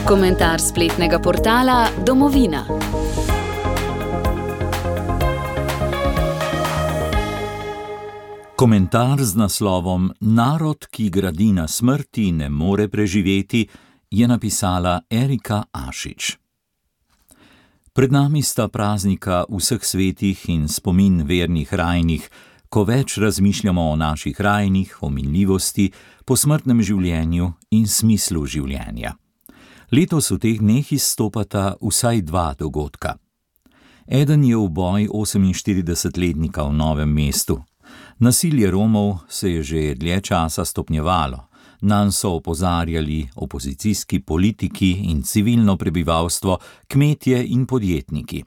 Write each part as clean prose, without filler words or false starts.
Komentar spletnega portala Domovina. Komentar z naslovom Narod, ki gradi na smrti, ne more preživeti, je napisala Erika Ašič. Pred nami sta praznika vseh svetih in spomin vernih rajnih, ko več razmišljamo o naših rajnih, o minljivosti, posmrtnem življenju in smislu življenja. Letos v teh dneh izstopata vsaj dva dogodka. Eden je uboj 48-letnika v Novem mestu. Nasilje Romov se je že dlje časa stopnjevalo. Nanj so opozarjali opozicijski politiki in civilno prebivalstvo, kmetje in podjetniki.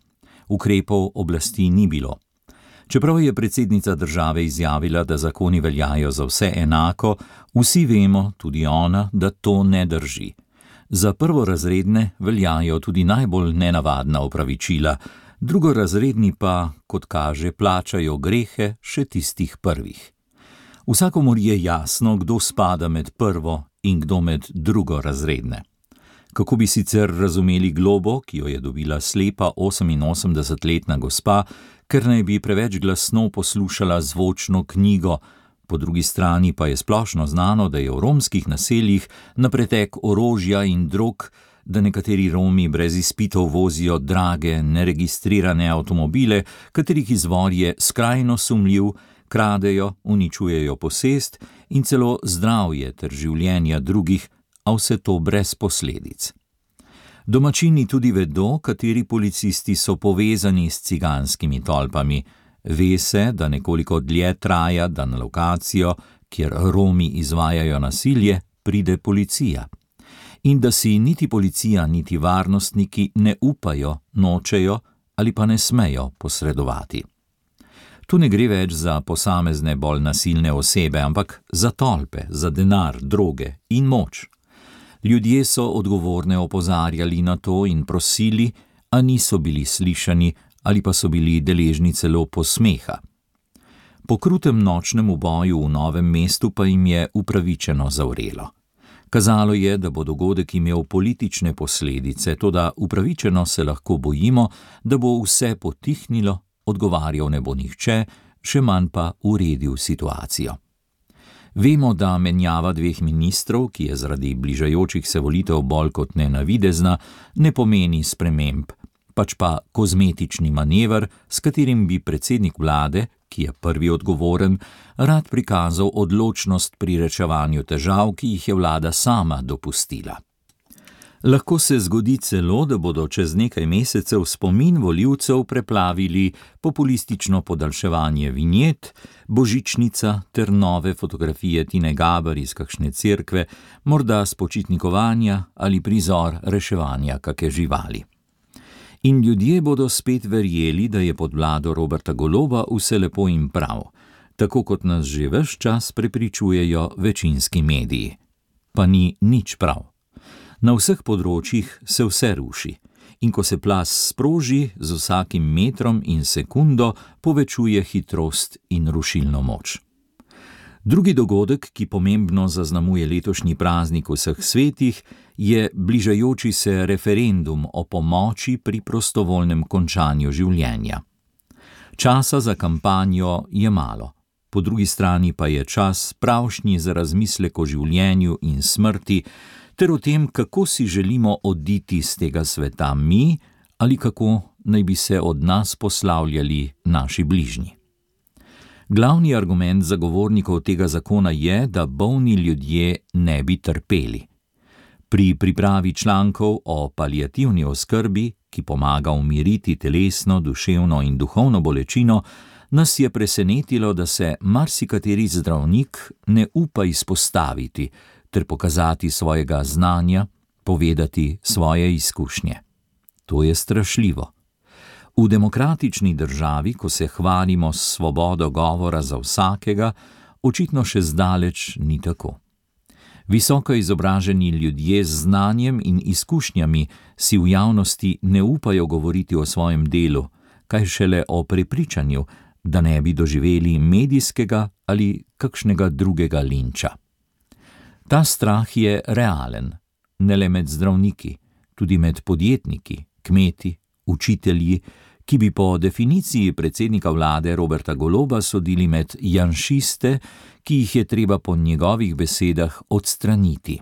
Ukrepov oblasti ni bilo. Čeprav je predsednica države izjavila, da zakoni veljajo za vse enako, vsi vemo, tudi ona, da to ne drži. Za prvorazredne veljajo tudi najbolj nenavadna opravičila, drugorazredni pa, kot kaže, plačajo grehe še tistih prvih. Vsakomur je jasno, kdo spada med prvo in kdo med drugorazredne. Kako bi sicer razumeli globo, ki jo je dobila slepa 88-letna gospa, ker naj bi preveč glasno poslušala zvočno knjigo, po drugi strani pa je splošno znano, da je v romskih naseljih na pretek orožja in drog, da nekateri Romi brez izpitov vozijo drage, neregistrirane avtomobile, katerih izvor je skrajno sumljiv, kradejo, uničujejo posest in celo zdravje ter življenja drugih, a vse to brez posledic. Domačini tudi vedo, kateri policisti so povezani s ciganskimi tolpami. Ve se, da nekoliko dlje traja, da na lokacijo, kjer Romi izvajajo nasilje, pride policija. In da si niti policija, niti varnostniki ne upajo, nočejo ali pa ne smejo posredovati. Tu ne gre več za posamezne bolj nasilne osebe, ampak za tolpe, za denar, droge in moč. Ljudje so odgovorne opozarjali na to in prosili, a niso bili slišani ali pa so bili deležni celo posmeha. Po krutem nočnem uboju v Novem mestu pa jim je upravičeno zavrelo. Kazalo je, da bo dogodek imel politične posledice, toda upravičeno se lahko bojimo, da bo vse potihnilo, odgovarjal ne bo nihče, še manj pa uredil situacijo. Vemo, da menjava dveh ministrov, ki je zaradi bližajočih se volitev bolj kot ne navidezna, ne pomeni sprememb, pač pa kozmetični manever, s katerim bi predsednik vlade, ki je prvi odgovoren, rad prikazal odločnost pri reševanju težav, ki jih je vlada sama dopustila. Lahko se zgodi celo, da bodo čez nekaj mesecev spomin volivcev preplavili populistično podaljševanje vinjet, božičnica ter nove fotografije Tine Gaber iz kakšne cerkve, morda spočitnikovanja ali prizor reševanja kake živali. In ljudje bodo spet verjeli, da je pod vlado Roberta Goloba vse lepo in prav, tako kot nas že ves čas prepričujejo večinski mediji. Pa ni nič prav. Na vseh področjih se vse ruši in ko se plaz sproži, z vsakim metrom in sekundo povečuje hitrost in rušilno moč. Drugi dogodek, ki pomembno zaznamuje letošnji praznik vseh svetih, je bližajoči se referendum o pomoči pri prostovoljnem končanju življenja. Časa za kampanjo je malo, po drugi strani pa je čas pravšnji za razmislek o življenju in smrti, ter o tem, kako si želimo oditi z tega sveta mi ali kako naj bi se od nas poslavljali naši bližnji. Glavni argument zagovornikov tega zakona je, da bolni ljudje ne bi trpeli. Pri pripravi člankov o paliativni oskrbi, ki pomaga umiriti telesno, duševno in duhovno bolečino, nas je presenetilo, da se marsikateri zdravnik ne upa izpostaviti ter pokazati svojega znanja, povedati svoje izkušnje. To je strašljivo. V demokratični državi, ko se hvalimo s svobodo govora za vsakega, očitno še zdaleč ni tako. Visoko izobraženi ljudje z znanjem in izkušnjami si v javnosti ne upajo govoriti o svojem delu, kaj šele o prepričanju, da ne bi doživeli medijskega ali kakšnega drugega linča. Ta strah je realen, ne le med zdravniki, tudi med podjetniki, kmeti, učitelji, ki bi po definiciji predsednika vlade Roberta Goloba sodili med janšiste, ki jih je treba po njegovih besedah odstraniti.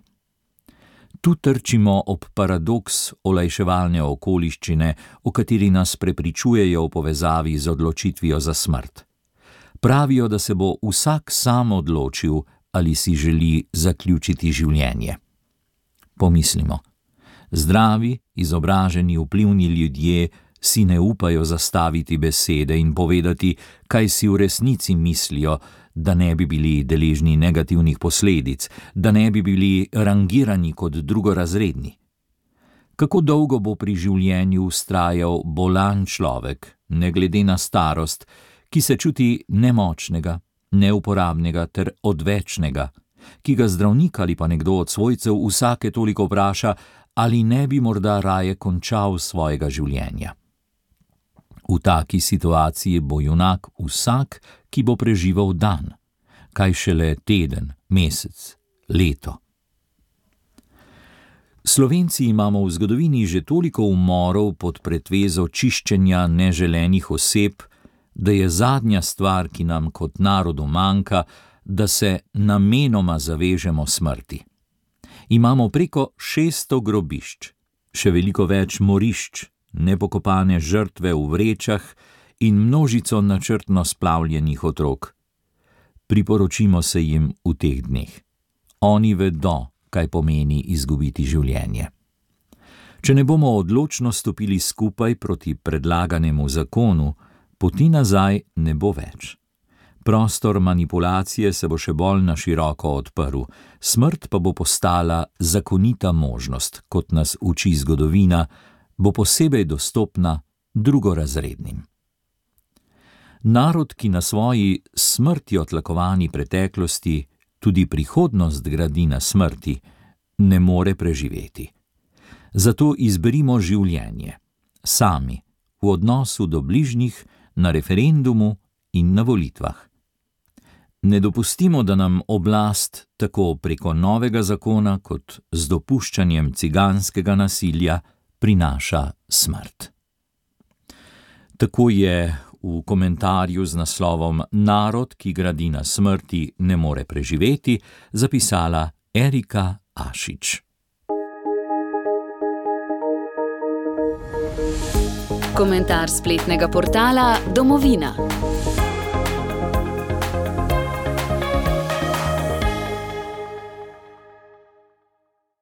Tu trčimo ob paradoks olajševalne okoliščine, o kateri nas prepričujejo v povezavi z odločitvijo za smrt. Pravijo, da se bo vsak sam odločil, ali si želi zaključiti življenje. Pomislimo. Zdravi, izobraženi, vplivni ljudje si ne upajo zastaviti besede in povedati, kaj si v resnici mislijo, da ne bi bili deležni negativnih posledic, da ne bi bili rangirani kot drugorazredni. Kako dolgo bo pri življenju vztrajal bolan človek, ne glede na starost, ki se čuti nemočnega, neuporabnega ter odvečnega, ki ga zdravnik ali pa nekdo od svojcev vsake toliko vpraša, ali ne bi morda raje končal svojega življenja. V taki situaciji bo junak vsak, ki bo preživel dan, kaj šele teden, mesec, leto. Slovenci imamo v zgodovini že toliko umorov pod pretvezo čiščenja neželenih oseb, da je zadnja stvar, ki nam kot narodu manjka, da se namenoma zavežemo smrti. Imamo preko 600 grobišč, še veliko več morišč, nepokopane žrtve v vrečah in množico načrtno splavljenih otrok. Priporočimo se jim v teh dneh. Oni vedo, kaj pomeni izgubiti življenje. Če ne bomo odločno stopili skupaj proti predlaganemu zakonu, poti nazaj ne bo več. Prostor manipulacije se bo še bolj na široko odprl, smrt pa bo postala zakonita možnost, kot nas uči zgodovina, bo posebej dostopna drugorazrednim. Narod, ki na svoji smrtjo tlakovani preteklosti tudi prihodnost gradi na smrti, ne more preživeti. Zato izberimo življenje, sami, v odnosu do bližnjih, na referendumu in na volitvah. Ne dopustimo, da nam oblast tako preko novega zakona kot z dopuščanjem ciganskega nasilja prinaša smrt. Tako je v komentarju z naslovom Narod, ki gradi na smrti, ne more preživeti, zapisala Erika Ašič. Komentar spletnega portala Domovina.